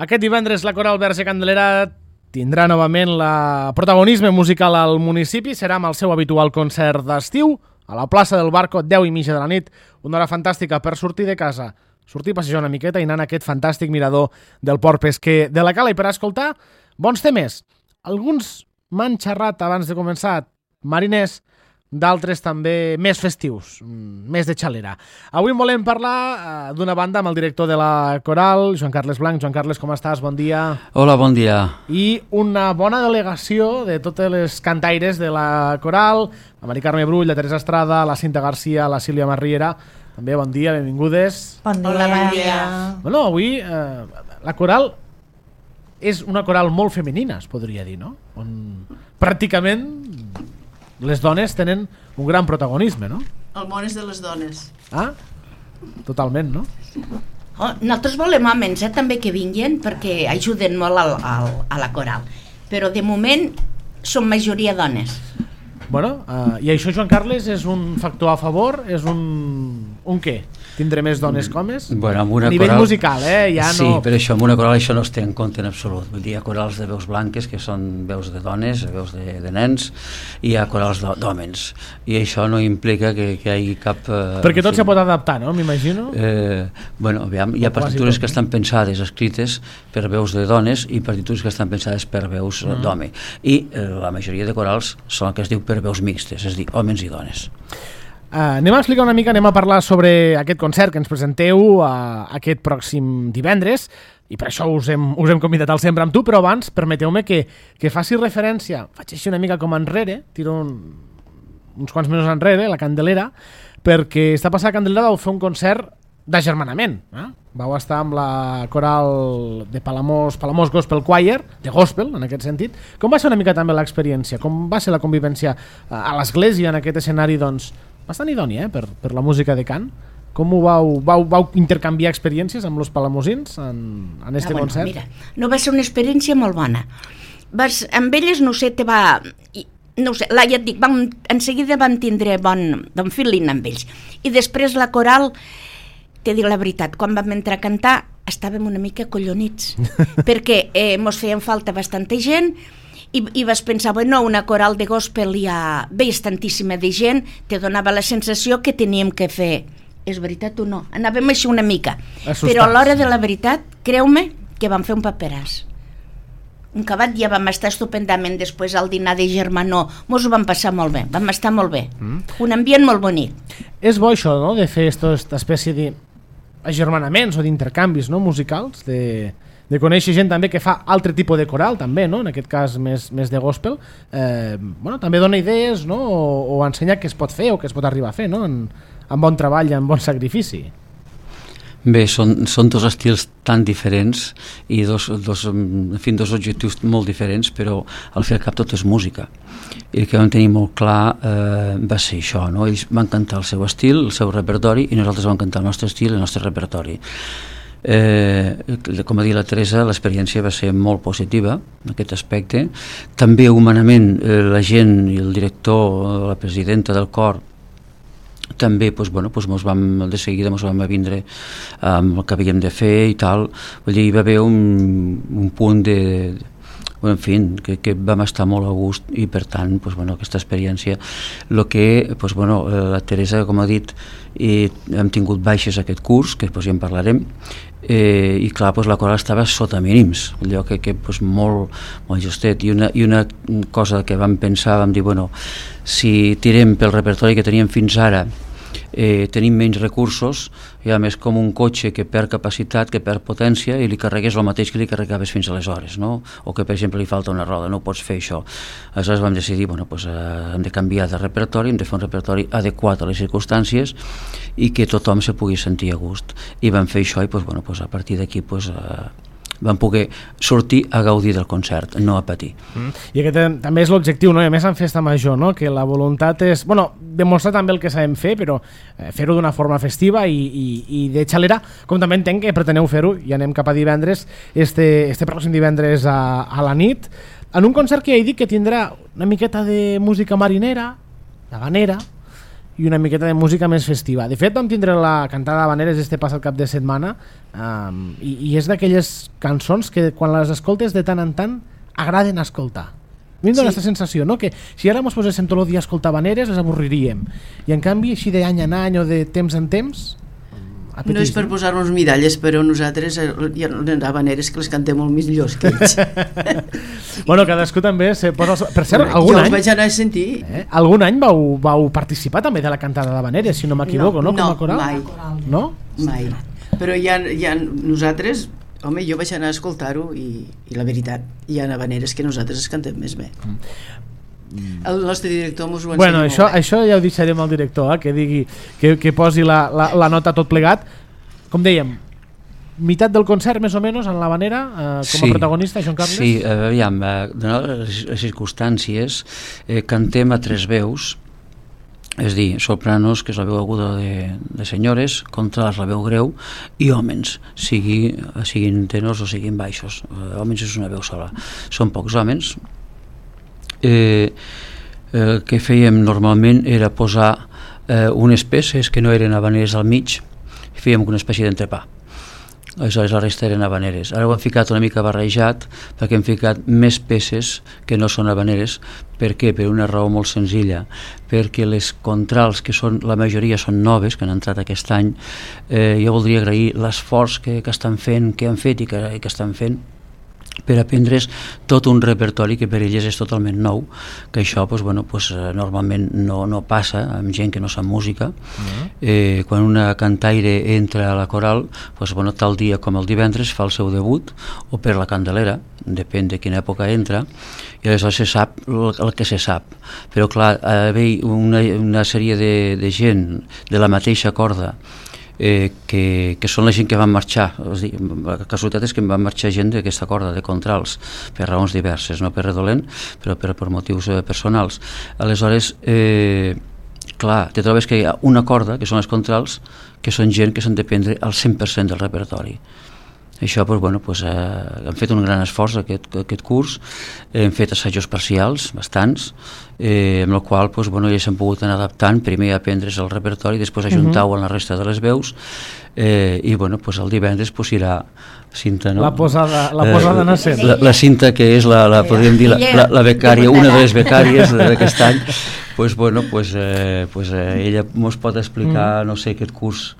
Aquest divendres la Coral Verge Candelera tindrà novament el protagonisme musical al municipi. Serà amb el seu habitual concert d'estiu a la plaça del Barco, 10:30 de la nit. Una hora fantàstica per sortir de casa, sortir a passejar una miqueta i anar a aquest fantàstic mirador del port pesquer de la Cala. I per escoltar bons temes. Alguns m'han xerrat abans de començar mariners, d'altres també més festius, més de xalera. Avui volem parlar d'una banda amb el director de la Coral, Joan Carles Blanc. Joan Carles, com estàs? Bon dia. Hola, bon dia. I una bona delegació de totes les cantaires de la Coral, la Mari Carme Brull, la Teresa Estrada, la Cinta Garcia, la Sílvia Marriera. També bon dia, benvingudes. Bon dia. Hola, bon dia. Bueno, avui la Coral és una coral molt femenina, es podria dir, no? On pràcticament les dones tenen un gran protagonisme, no? El món és de les dones. Ah, totalment, no? Nosaltres volem homes també que vinguin perquè ajuden molt a la coral, però de moment som majoria dones. Bueno, i això, Joan Carles, és un factor a favor? És un què? Tindre més dones que homes? Bueno, amb una a nivell coral... musical, ja no... Sí, però això, amb una coral això no es té en compte en absolut. Vull dir, hi ha corals de veus blanques, que són veus de dones, veus de nens, i hi ha corals d'hòmens. I això no implica que hi hagi cap... Perquè tot se pot adaptar, no? M'imagino. Bueno, aviam, hi ha partitures que estan pensades, escrites per veus de dones, i partitures que estan pensades per veus d'home. I la majoria de corals són el que es diu per veus mixtes, és a dir, homes i dones. Anem a explicar una mica, anem a parlar sobre aquest concert que ens presenteu aquest pròxim divendres, i per això us hem convidat al Sempre amb tu, però abans permeteu-me que faci referència, faig així una mica com enrere, tiro uns quants mesos enrere, la Candelera, perquè està passada a Candelera vau fer un concert d'agermanament. Vau estar amb la coral de Palamós Gospel Choir, de gospel en aquest sentit. Com va ser una mica també l'experiència? Com va ser la convivència a l'església en aquest escenari, doncs, bastant idoni, per la música de cant? Com ho vau intercanviar experiències amb els palamosins en este concert? Mira, no va ser una experiència molt bona. Amb elles, no sé, ja et dic, en seguida vam tindre bon feeling amb ells. I després la coral, t'he dit la veritat, quan vam entrar a cantar estàvem una mica collonits, perquè mos feien falta bastanta gent, i vas pensar, bueno, una coral de gospel veis tantíssima de gent, te donava la sensació que teníem que fer. És veritat o no? Anàvem així una mica. Assustats. Però a l'hora de la veritat, creu-me que vam fer un paperàs. Un acabat ja vam estar estupendament després al dinar de germanor. Mos ho vam passar molt bé, vam estar molt bé. Un ambient molt bonic. És bo això, no?, de fer aquesta espècie d'agermanaments o d'intercanvis, no?, musicals, de conèixer gent també que fa altre tipus de coral també, no?, en aquest cas més de gospel. Bueno, també dona idees, no?, o ensenya què es pot fer o què es pot arribar a fer, no?, amb bon treball i amb bon sacrifici. Bé, són dos estils tan diferents i dos objectius molt diferents, però al fi i al cap tot és música. I el que vam tenir molt clar va ser això, no? Ells van cantar el seu estil, el seu repertori, i nosaltres vam cantar el nostre estil, el nostre repertori. Com ha dit la Teresa, l'experiència va ser molt positiva en aquest aspecte. També humanament la gent i el director, la presidenta del cor, també de seguida ens vam vindre amb el que havíem de fer i tal. Vull dir, hi va haver un punt en fi, que vam estar molt a gust, i per tant aquesta experiència, la Teresa, com ha dit, hem tingut baixes aquest curs, que ja en parlarem, i clar, la coral estava sota mínims, allò que molt justet, i una cosa que vam pensar, vam dir, si tirem pel repertori que teníem fins ara, tenim menys recursos, i a més com un cotxe que perd capacitat, que perd potència, i li carregues el mateix que li carregaves fins aleshores, no? O que per exemple li falta una roda, no pots fer això. Aleshores vam decidir, hem de canviar de repertori, hem de fer un repertori adequat a les circumstàncies i que tothom se pugui sentir a gust, i vam fer això, i a partir d'aquí vam poder sortir a gaudir del concert, no a patir. I aquest també és l'objectiu, no? I a més en festa major, no?, que la voluntat és, demostrar també el que sabem fer, però fer-ho d'una forma festiva i de xalera, com també entenc que preteneu fer-ho, i anem cap a divendres, este pròxim divendres a la nit, en un concert que ja he dit que tindrà una miqueta de música marinera, habanera, i una miqueta de música més festiva. De fet, vam tindre la cantada d'Havaneres este passat cap de setmana i és d'aquelles cançons que quan les escoltes de tant en tant agraden escoltar. A mi em dóna aquesta sensació, no? Que si ara ens poséssim tot el dia a escoltar Havaneres les avorriríem, i en canvi així d'any en any o de temps en temps apetís, no és per posar-nos medalles, però nosaltres hi ha Havaneres que les cantem molt millors que ells. Bueno, cadascú també se posa... Per cert, jo els vaig anar a sentir. Algun any vau participar també de la cantada d'Havaneres, si no m'equivoco, no? Com a coral? Mai. No? Mai. Però hi ha nosaltres... Home, jo vaig anar a escoltar-ho i la veritat, hi ha Havaneres que nosaltres es cantem més bé. El nostre director mos ho ensenya molt bé. Això ja ho deixarem al director, que digui, que posi la nota tot plegat. Com dèiem, meitat del concert més o menys en l'Havanera com a protagonista, Joan Carles? Sí, aviam, donades les circumstàncies, cantem a 3 veus, és dir, sopranos, que és la veu aguda de senyores, contrals, la veu greu, i homes, siguin tenors o siguin baixos. Homes és una veu sola. Són pocs homes. El que fèiem normalment era posar unes peces que no eren havaneres al mig, i fèiem una espècie d'entrepà. Aleshores la resta eren havaneres. Ara ho hem ficat una mica barrejat perquè hem ficat més peces que no són havaneres. Per què? Per una raó molt senzilla, perquè les contrals, que són, la majoria són noves, que han entrat aquest any, jo voldria agrair l'esforç que estan fent, que han fet i que estan fent per aprendre's tot un repertori que per elles és totalment nou, que això normalment no passa amb gent que no sap música. Quan una cantaire entra a la coral, tal dia com el divendres fa el seu debut, o per la Candelera, depèn de quina època entra, i aleshores se sap el que se sap. Però clar, haver una sèrie de gent de la mateixa corda, que són la gent que van marxar. La casualitat és que van marxar gent d'aquesta corda de contrals per raons diverses, no per redolent, però per motius personals. Aleshores, clar, te trobes que hi ha una corda, que són les contrals, que són gent que s'han de prendre el 100% del repertori. Això, hem fet un gran esforç aquest curs, hem fet assajos parcials, bastants, amb el qual ells s'han pogut anar adaptant, primer a aprendre's el repertori, després ajuntar-ho amb la resta de les veus, i el divendres irà Cinta, no? La posada nascent. La Cinta, que és podríem dir la becària, una de les becàries d'aquest any, ella ens pot explicar, no sé, aquest curs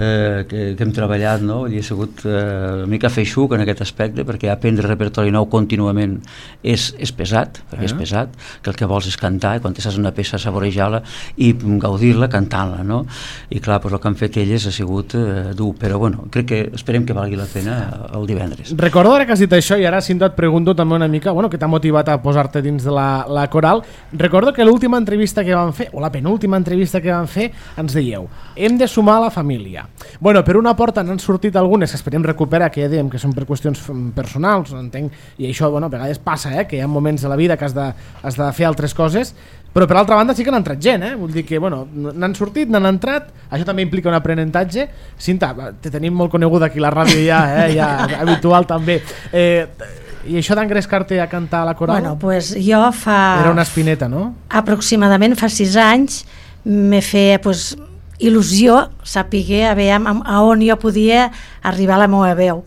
que hem treballat, no? I ha sigut una mica feixuc en aquest aspecte, perquè aprendre repertori nou contínuament és pesat, perquè és pesat, que el que vols és cantar, i quan estàs una peça saborejar-la i gaudir-la cantant-la, no? I clar, el que han fet elles ha sigut dur, però crec que esperem que valgui la pena el divendres. Recordo ara que has dit això, i ara Cinta et pregunto també una mica, que t'ha motivat a posar-te dins de la coral. Recordo que l'última entrevista que vam fer, o la penúltima entrevista que vam fer, ens dèieu, hem de sumar la família. Per una porta n'han sortit algunes que esperem recuperar, que ja dèiem que són per qüestions personals, entenc, i això a vegades passa, que hi ha moments de la vida que has de fer altres coses, però per altra banda sí que n'ha entrat gent, vull dir que n'han sortit, n'han entrat, això també implica un aprenentatge. Cinta, te tenim molt coneguda aquí a la ràdio ja habitual també, i això d'engrescar-te a cantar a la coral? Jo era una espineta, no? Aproximadament fa 6 anys me feia il·lusió saber a on jo podia arribar a la meva veu,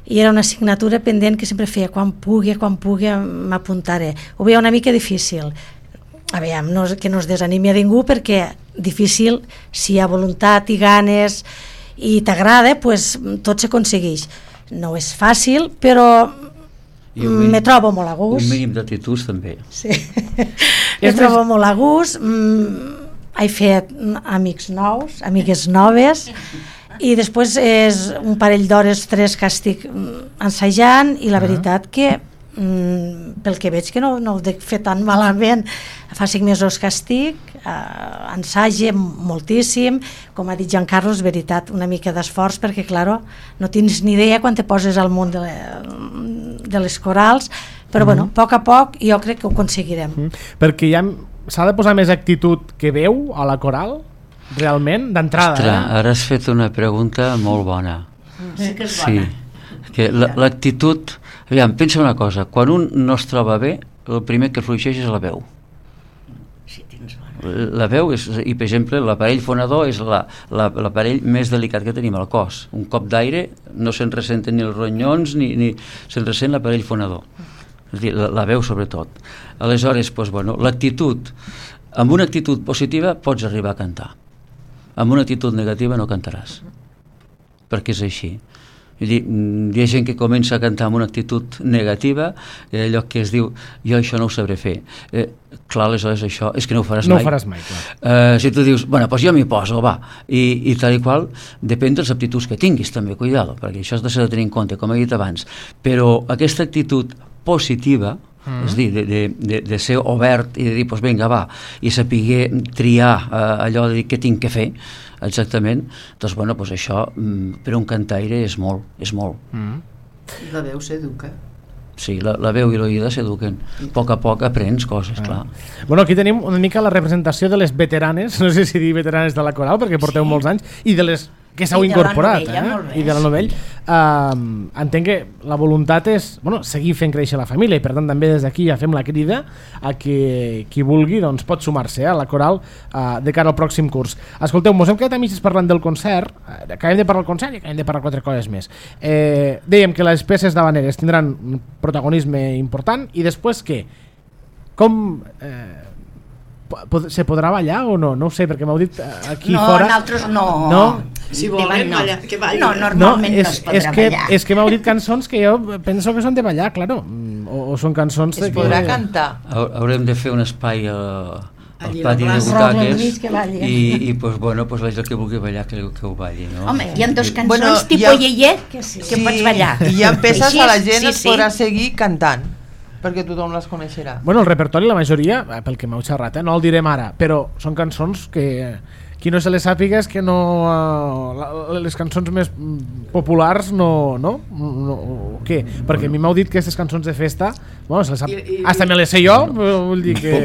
i era una assignatura pendent que sempre feia, quan pugui m'apuntaré. Ho veia una mica difícil, que no es desanimi a ningú, perquè difícil, si hi ha voluntat i ganes i t'agrada, tot s'aconsegueix. No és fàcil, però me trobo molt a gust. Un mínim d'actituds també. Sí. Me trobo molt a gust, he fet amics nous, amigues noves, i després és un parell d'hores, 3 que estic ensajant, i la veritat que pel que veig que no ho he fet tan malament. Fa 5 mesos que estic, ensage moltíssim, com ha dit Joan Carles, veritat, una mica d'esforç, perquè clar, no tens ni idea quan te poses al món de les corals, però a poc jo crec que ho aconseguirem. Perquè s'ha de posar més actitud que veu a la coral, realment, d'entrada. Ostres, ara has fet una pregunta molt bona. Sí que és bona. Que l'actitud, pensa una cosa, quan un no es troba bé, el primer que fluixeix és la veu. Sí, tens bona. la veu és, i per exemple l'aparell fonador és l'aparell més delicat que tenim al cos. Un cop d'aire no se'n ressenten ni els ronyons ni se'n ressent l'aparell fonador, és a dir, la veu sobretot. Aleshores, doncs, bueno, l'actitud, amb una actitud positiva pots arribar a cantar, amb una actitud negativa no cantaràs, perquè és així. Vull dir, hi ha gent que comença a cantar amb una actitud negativa, allò que es diu, jo això no ho sabré fer. Clar, aleshores això és que no ho faràs mai. No ho faràs mai, clar. Si tu dius, bueno, doncs jo m'hi poso, va, i tal i qual, depèn de les aptituds que tinguis també, cuidado, perquè això has de ser de tenir en compte, com he dit abans, però aquesta actitud positiva, és a dir, de ser obert i de dir, doncs vinga, va, i saber triar allò de dir què tinc que fer, exactament, doncs bueno, doncs això per un cantaire és molt, és molt. La veu s'educa. Sí, la veu i l'oïda s'eduquen. A poc aprens coses, clar. Bueno, aquí tenim una mica la representació de les veteranes, no sé si dir veteranes de la coral, perquè porteu molts anys, i de les que s'heu incorporat, i de la novell. Entenc que la voluntat és seguir fent créixer la família, i per tant també des d'aquí ja fem la crida a que qui vulgui doncs, pot sumar-se a la coral de cara al pròxim curs. Escolteu, mos hem quedat a mitges parlant del concert, acabem de parlar del concert i acabem de parlar 4 coses més. Dèiem que les peces d'havaneres tindran un protagonisme important, i després què? Com... se podrà ballar o no? No ho sé, perquè m'heu dit aquí fora... No, nosaltres no. No? Si volen, que ballin. No, normalment no es podrà ballar. És que m'heu dit cançons que jo penso que són de ballar, claro. O són cançons... Es podrà cantar. Haurem de fer un espai al pati de butaques i pues, bueno, pues, la que vulgui ballar que ho balli, no? Home, hi ha 2 cançons tipus Yeye que pots ballar. I hi ha peces que la gent es podrà seguir cantant, perquè tothom les coneixerà. Bueno, el repertori, la majoria, pel que m'heu xerrat, no el direm ara, però són cançons que qui no se les sàpiga és que no... les cançons més populars no? Què? Perquè a mi m'heu dit que aquestes cançons de festa, bueno, se les sap... hasta me les sé jo, vull dir que...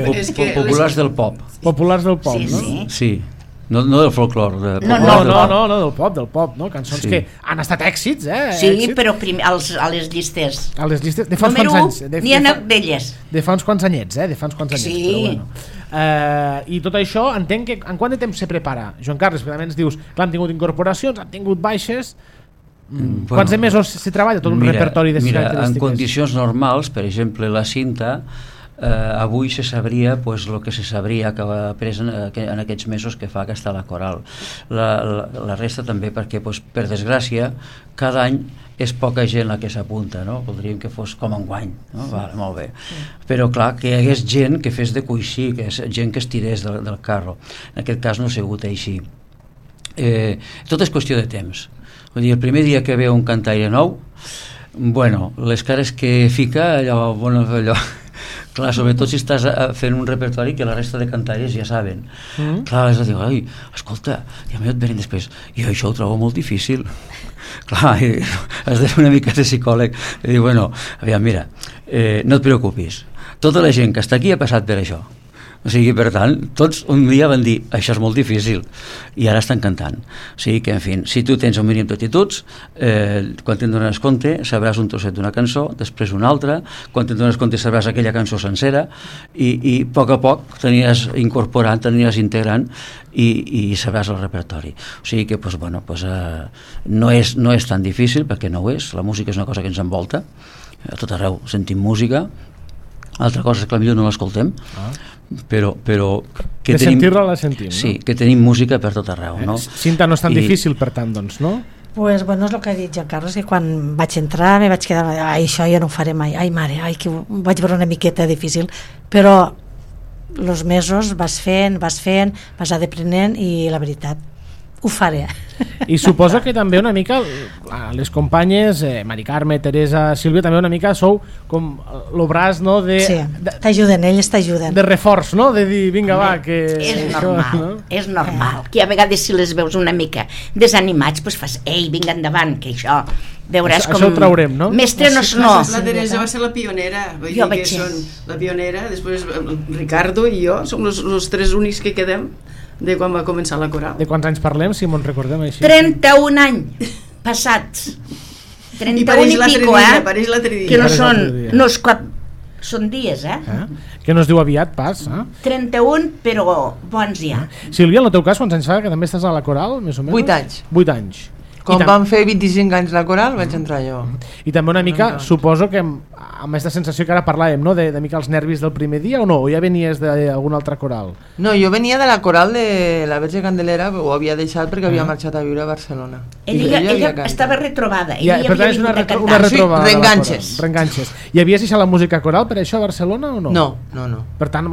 Populars del pop. Populars del pop, no? Sí. No del folclore. No, del pop, no? Cançons que han estat èxits, Sí, però a les llistes. A les llistes, de fa uns quants anys. N'hi ha d'elles. De fa uns quants anyets, Sí. Però bueno. I tot això, entenc que en quant de temps se prepara? Joan Carles, perquè ens dius, clar, han tingut incorporacions, han tingut baixes... Quants de mesos se treballa tot un repertori de característiques? En condicions normals, per exemple, la cinta... avui se sabria el que se sabria que ha pres en aquests mesos que fa que està la coral. La resta també perquè, per desgràcia, cada any és poca gent la que s'apunta, no? Voldríem que fos com enguany, no? Vale, molt bé. Però clar, que hi hagués gent que fes de coixí, que és gent que es tirés del carro. En aquest cas no ha sigut així. Tot és qüestió de temps. Vull dir, el primer dia que veu un cantaire nou, bueno, les cares que fica, allò clar, sobretot si estàs fent un repertori que la resta de cantaires ja saben. Clar, és a dir, ai, escolta, ja m'ho et venen després, i això ho trobo molt difícil. Clar, has de fer una mica de psicòleg i dir, bueno, aviam, mira, no et preocupis, tota la gent que està aquí ha passat per això. O sigui, per tant, tots un dia van dir això és molt difícil, i ara estan cantant. O sigui que, en fi, si tu tens un mínim d'actituds, quan te'n dones compte sabràs un trosset d'una cançó, després una altra, quan te'n dones compte sabràs aquella cançó sencera, i a poc t'aniries incorporant, t'aniries integrant, i sabràs el repertori. O sigui que, bueno, no és tan difícil, perquè no ho és, la música és una cosa que ens envolta, a tot arreu sentim música, altra cosa és que potser no l'escoltem, però que de sentir-la la sentim, no? Sí, que tenim música per tot arreu, no? Cinta no és tan difícil, per tant, doncs, no? Pues bueno, és el que ha dit Joan Carles, que quan vaig entrar me vaig quedar, ai, això ja no ho faré mai, ai mare, ai, que ho vaig veure una miqueta difícil, però els mesos vas fent, vas aprenent, i la veritat, ho faré. I suposo que també una mica les companyes, Mari Carme, Teresa, Sílvia, també una mica sou com el braç, no? Sí, t'ajuden, elles t'ajuden. De reforç, no? De dir, vinga, va, que... És normal, que a vegades si les veus una mica desanimats, doncs fas, ei, vinga endavant, que això... Veuràs com... Això ho traurem, no? Mestre no... La Teresa va ser la pionera, vull dir que són la pionera, després Ricardo i jo som els 3 únics que quedem de quan va començar la coral. De quants anys parlem, si me'n recordem així? 31 anys passats. 31 i pico, pareix l'altre dia. Que no és cap Són dies, Que no es diu aviat, pas. 31, però bons ja. Sílvia, en el teu cas, quants anys fa que també estàs a la coral, més o menys? 8 anys. 8 anys. Quan vam fer 25 anys la coral vaig entrar jo. I també una mica, suposo que amb aquesta sensació que ara parlàvem, no? de mica els nervis del primer dia o no? O ja venies d'alguna altra coral? No, jo venia de la coral de la Verge Candelera, ho havia deixat perquè havia marxat a viure a Barcelona. Ella estava retrobada. Per tant, és una retrobada. Reenganxes. I havies deixat la música coral per això a Barcelona o no? No. Per tant,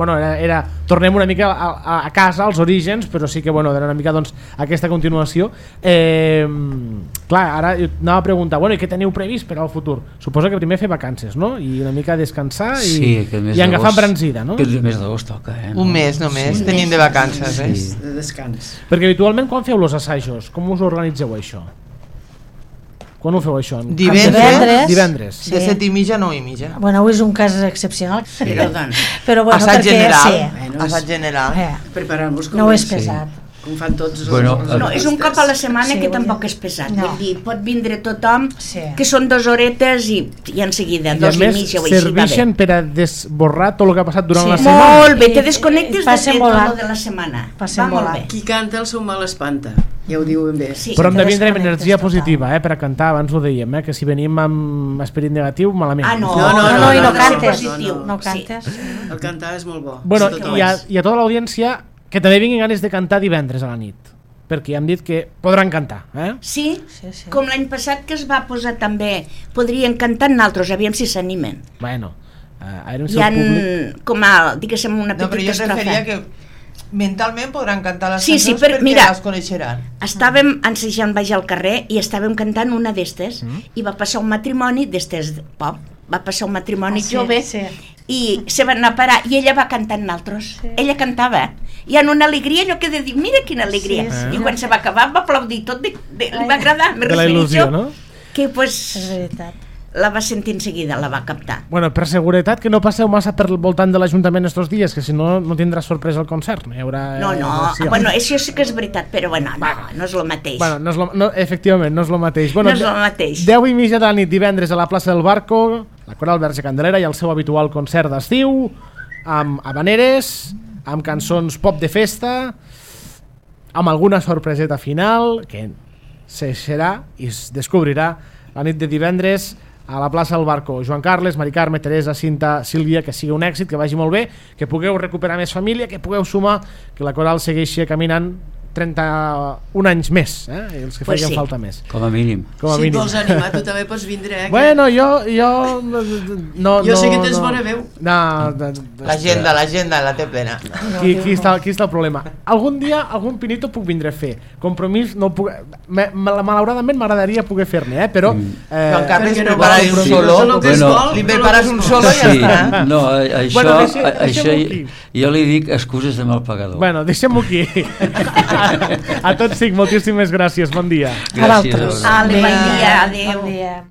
tornem una mica a casa, als orígens, però sí que era una mica aquesta continuació. Clar, ara anava a preguntar, i què teniu previst per al futur? Suposo que primer fer vacances, no? I una mica descansar i agafar embranzida, no? Que el mes d'agost toca, no? Un mes només, tenim de vacances, de descans. Perquè habitualment quan feu els assajos, com us organitzeu això? Quan ho feu això? Divendres. De 7:30 a 9:30. Bueno, avui és un cas excepcional. Però bueno, assaig general. Sí. Assaig general. Preparar-nos com no és pesat. Com fan tots no, és un cop a la setmana que tampoc és pesat. Vull dir, pot vindre tothom, que són 2 horetes i en seguida, 2 i mitja. I a més, serveixen per a desborrar tot el que ha passat durant la setmana. Molt bé, te desconnectes de tot de la setmana. Va molt bé. Qui canta el seu mal espanta, ja ho diuen bé. Però hem de vindre amb energia positiva, per a cantar, abans ho dèiem, que si venim amb esperit negatiu, malament. No, i no cantes. No cantes. El cantar és molt bo. Bueno, i a tota l'audiència que també vinguin ganes de cantar divendres a la nit, perquè ja hem dit que podran cantar, Sí, com l'any passat que es va posar també, podrien cantar naltros, aviam si s'animen. Bueno, hi ha, com a, diguéssim, una petita estrofa. No, però jo referia que mentalment podran cantar les cançons perquè les coneixeran. Estàvem ensejant baix al carrer i estàvem cantant una d'estes i va passar un matrimoni d'estes pop, va passar un matrimoni jove i se van anar a parar i ella va cantar en altres. Ella cantava i en una alegria, allò que de dir, mira quina alegria. I quan se va acabar va aplaudir tot, li va agradar. De la il·lusió, no? Que és veritat. La va sentir en seguida, la va captar. Bueno, per seguretat que no passeu massa per voltant de l'Ajuntament estos dies, que si no tindrà sorpresa el concert. No, bueno, això sí que és veritat, però bueno, no és el mateix. Bueno, efectivament, no és el mateix. No és el mateix. 10:30 de la nit divendres a la plaça del Barco, la Coral Verge Candelera i el seu habitual concert d'estiu, amb habaneres, amb cançons pop de festa, amb alguna sorpreseta final que serà i es descobrirà la nit de divendres a la plaça del Barco. Joan Carles, Mari Carme, Teresa, Cinta, Sílvia, que sigui un èxit, que vagi molt bé, que pugueu recuperar més família, que pugueu sumar, que la coral segueixi caminant 31 anys més, els que facin falta més. Com a mínim. Si et vols animar, tu també pots vindre. Bueno, jo sé que tens bona veu. L'agenda la té plena. Aquí està el problema. Algun dia, algun pinito puc vindre a fer. Compromís no puc... Malauradament m'agradaria poder fer-ne, però... Joan Carles, preparar un solo. Li prepares un solo i ja està. No, això jo li dic excuses de mal pagador. Bueno, deixem-ho aquí. A tots cinc, moltíssimes gràcies, bon dia. Gràcies. Bon dia, adéu.